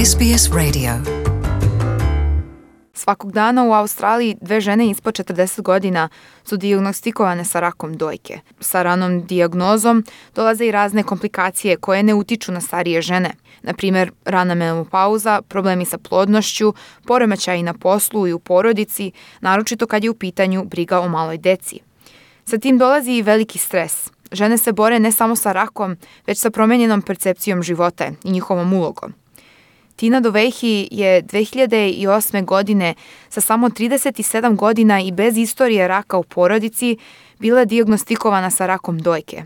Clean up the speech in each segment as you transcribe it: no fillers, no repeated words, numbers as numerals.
SBS Radio. Svakog dana u Australiji 2 žene ispod 40 godina su dijagnostikovane sa rakom dojke. Sa ranom dijagnozom dolaze i razne komplikacije koje ne utiču na starije žene. Na primjer, rana menopauza, problemi sa plodnošću, poremećaji na poslu i u porodici, naročito kad je u pitanju briga o maloj deci. Sa tim dolazi i veliki stres. Žene se bore ne samo sa rakom, već sa promijenjenom percepcijom života i njihovom ulogom. Tina Dovejhi je 2008. godine sa samo 37 godina i bez istorije raka u porodici bila dijagnostikovana sa rakom dojke.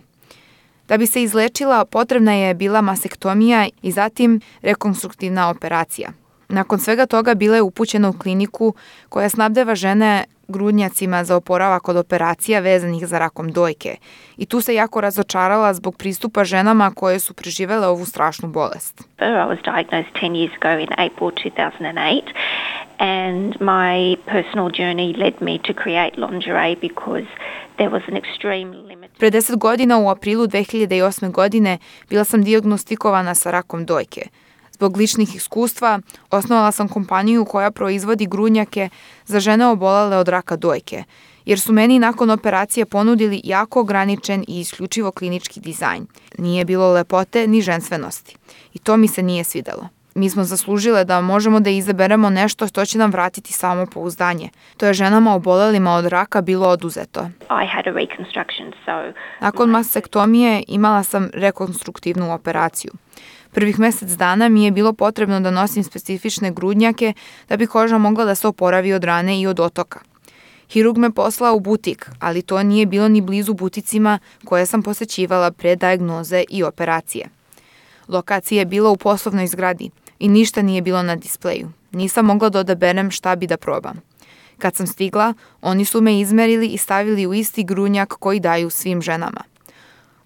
Da bi se izlečila, potrebna je bila masektomija i zatim rekonstruktivna operacija. Nakon svega toga bila je upućena u kliniku koja snabdeva žene grudnjacima za oporavak od operacija vezanih za rakom dojke. I tu se jako razočarala zbog pristupa ženama koje su preživele ovu strašnu bolest. I was diagnosed 10 years ago in April 2008 and my personal journey led me to create lingerie because there was an extreme limit. Pre 10 godina u aprilu 2008. godine bila sam dijagnostikovana sa rakom dojke. Zbog ličnih iskustva osnovala sam kompaniju koja proizvodi grudnjake za žene obolele od raka dojke, jer su meni nakon operacije ponudili jako ograničen i isključivo klinički dizajn. Nije bilo lepote ni ženstvenosti. I to mi se nije svidelo. Mi smo zaslužile da možemo da izaberemo nešto što će nam vratiti samopouzdanje. To je ženama obolelima od raka bilo oduzeto. Nakon masektomije imala sam rekonstruktivnu operaciju. Prvih mjesec dana mi je bilo potrebno da nosim specifične grudnjake da bi koža mogla da se oporavi od rane i od otoka. Hirurg me poslao u butik, ali to nije bilo ni blizu buticima koje sam posećivala pre dijagnoze i operacije. Lokacija je bila u poslovnoj zgradi i ništa nije bilo na displeju. Nisam mogla da odaberem šta bi da probam. Kad sam stigla, oni su me izmerili i stavili u isti grudnjak koji daju svim ženama.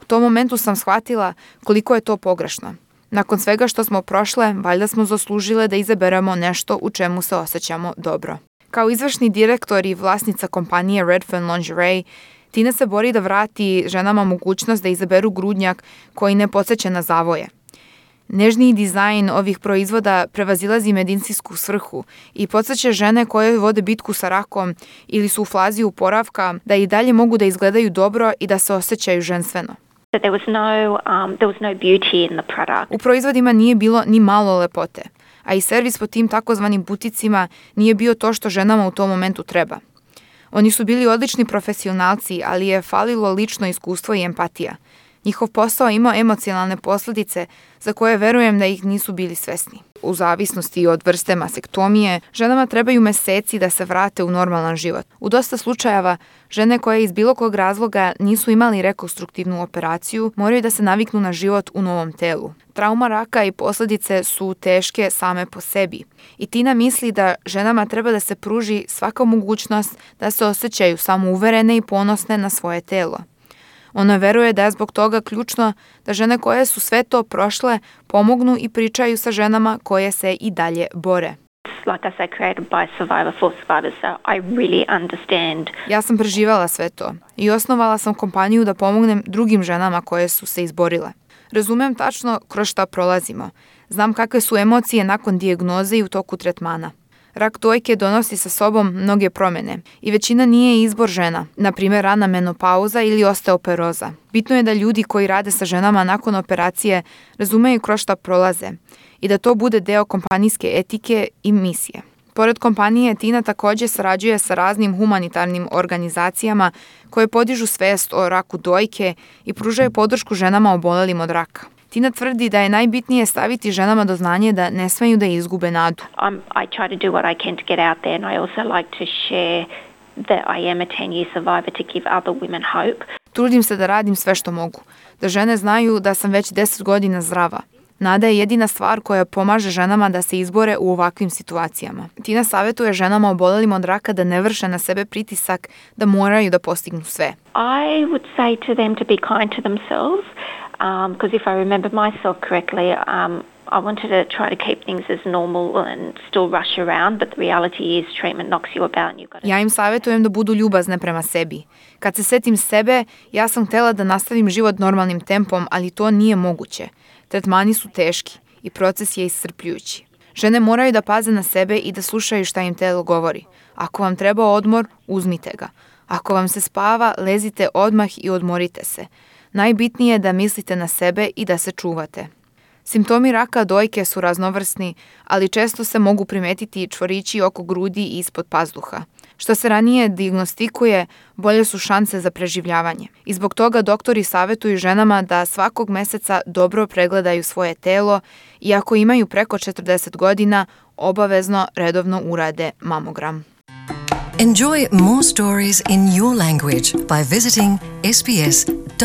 U tom momentu sam shvatila koliko je to pogrešno. Nakon svega što smo prošle, valjda smo zaslužile da izaberemo nešto u čemu se osjećamo dobro. Kao izvršni direktor i vlasnica kompanije Redfern Lingerie, Tina se bori da vrati ženama mogućnost da izaberu grudnjak koji ne podsjeća na zavoje. Nežniji dizajn ovih proizvoda prevazilazi medicinsku svrhu i podsjeća žene koje vode bitku sa rakom ili su u fazi oporavka da i dalje mogu da izgledaju dobro i da se osjećaju ženstveno. U proizvodima nije bilo ni malo lepote, a i servis po tim takozvanim buticima nije bio to što ženama u tom momentu treba. Oni su bili odlični profesionalci, ali je falilo lično iskustvo i empatija. Njihov posao imao emocionalne posljedice za koje verujem da ih nisu bili svesni. U zavisnosti od vrste masektomije, ženama trebaju meseci da se vrate u normalan život. U dosta slučajeva, žene koje iz bilo kog razloga nisu imali rekonstruktivnu operaciju, moraju da se naviknu na život u novom telu. Trauma raka i posljedice su teške same po sebi. I Tina misli da ženama treba da se pruži svaka mogućnost da se osjećaju samouverene i ponosne na svoje telo. Ona veruje da je zbog toga ključno da žene koje su sve to prošle pomognu i pričaju sa ženama koje se i dalje bore. Ja sam preživala sve to i osnovala sam kompaniju da pomognem drugim ženama koje su se izborile. Razumem tačno kroz šta prolazimo. Znam kakve su emocije nakon dijagnoze i u toku tretmana. Rak dojke donosi sa sobom mnoge promjene i većina nije izbor žena, na primjer rana menopauza ili osteoporoza. Bitno je da ljudi koji rade sa ženama nakon operacije razumeju kroz šta prolaze i da to bude deo kompanijske etike i misije. Pored kompanije, Tina također sarađuje sa raznim humanitarnim organizacijama koje podižu svest o raku dojke i pružaju podršku ženama obolelim od raka. Tina tvrdi da je najbitnije staviti ženama do znanja da ne smeju da izgube nadu. I try to do what I can to get out there and I also like to share that I am a 10-year survivor to give other women hope. Trudim se da radim sve što mogu, da žene znaju da sam već 10 godina zdrava. Nada je jedina stvar koja pomaže ženama da se izbore u ovakvim situacijama. Tina savjetuje ženama obolelim od raka da ne vrše na sebe pritisak da moraju da postignu sve. I would say to them to be kind to themselves. Because if I remember myself correctly, I wanted to try to keep things as normal and still rush around, but the reality is treatment knocks you about and you've got to... Ja im savjetujem da budu ljubazne prema sebi. Kad se setim sebe, ja sam htjela da nastavim život normalnim tempom, ali to nije moguće. Tretmani su teški i proces je iscrpljujući. Žene moraju da paze na sebe i da slušaju šta im telo govori. Ako vam treba odmor, uzmite ga. Ako vam se spava, lezite odmah i odmorite se. Najbitnije je da mislite na sebe i da se čuvate. Simptomi raka dojke su raznovrsni, ali često se mogu primetiti čvorići oko grudi i ispod pazduha. Što se ranije dijagnostikuje, bolje su šanse za preživljavanje. I zbog toga doktori savjetuju ženama da svakog meseca dobro pregledaju svoje telo i ako imaju preko 40 godina, obavezno redovno urade mamogram. Enjoy more stories in your language by visiting sbs.com.au.